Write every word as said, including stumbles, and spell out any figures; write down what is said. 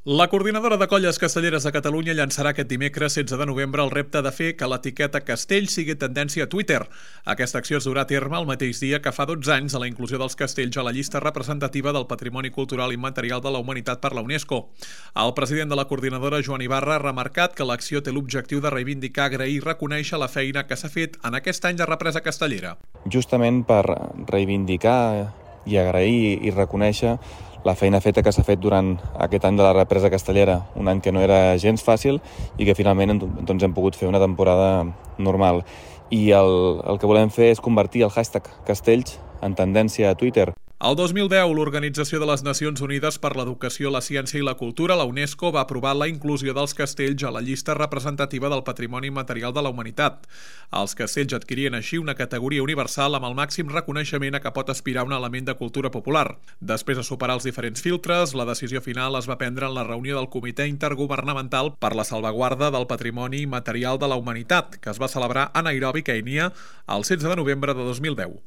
La Coordinadora de Colles Castelleres de Catalunya llançarà aquest dimecres setze de novembre el repte de fer que l'etiqueta castell sigui tendència a Twitter. Aquesta acció es durà a terme el mateix dia que fa dotze anys a la inclusió dels castells a la llista representativa del Patrimoni Cultural Immaterial de la Humanitat per la UNESCO. El president de la coordinadora, Joan Ibarra, ha remarcat que l'acció té l'objectiu de reivindicar, agrair i reconèixer la feina que s'ha fet en aquest any de represa castellera. Justament per reivindicar i agrair i reconèixer la feina feta que s'ha fet durant aquest any de la represa castellera, un any que no era gens fàcil i que finalment doncs, hem pogut fer una temporada normal. I el, el que volem fer és convertir el hashtag Castells en tendència a Twitter. El dos mil deu, l'Organització de les Nacions Unides per l'Educació, la Ciència i la Cultura, la UNESCO, va aprovar la inclusió dels castells a la llista representativa del Patrimoni Immaterial de la Humanitat. Els castells adquirien així una categoria universal amb el màxim reconeixement a què pot aspirar un element de cultura popular. Després de superar els diferents filtres, la decisió final es va prendre en la reunió del Comitè Intergovernamental per la Salvaguarda del Patrimoni Immaterial de la Humanitat, que es va celebrar a Nairobi, Kènia, el setze de novembre de dos mil deu.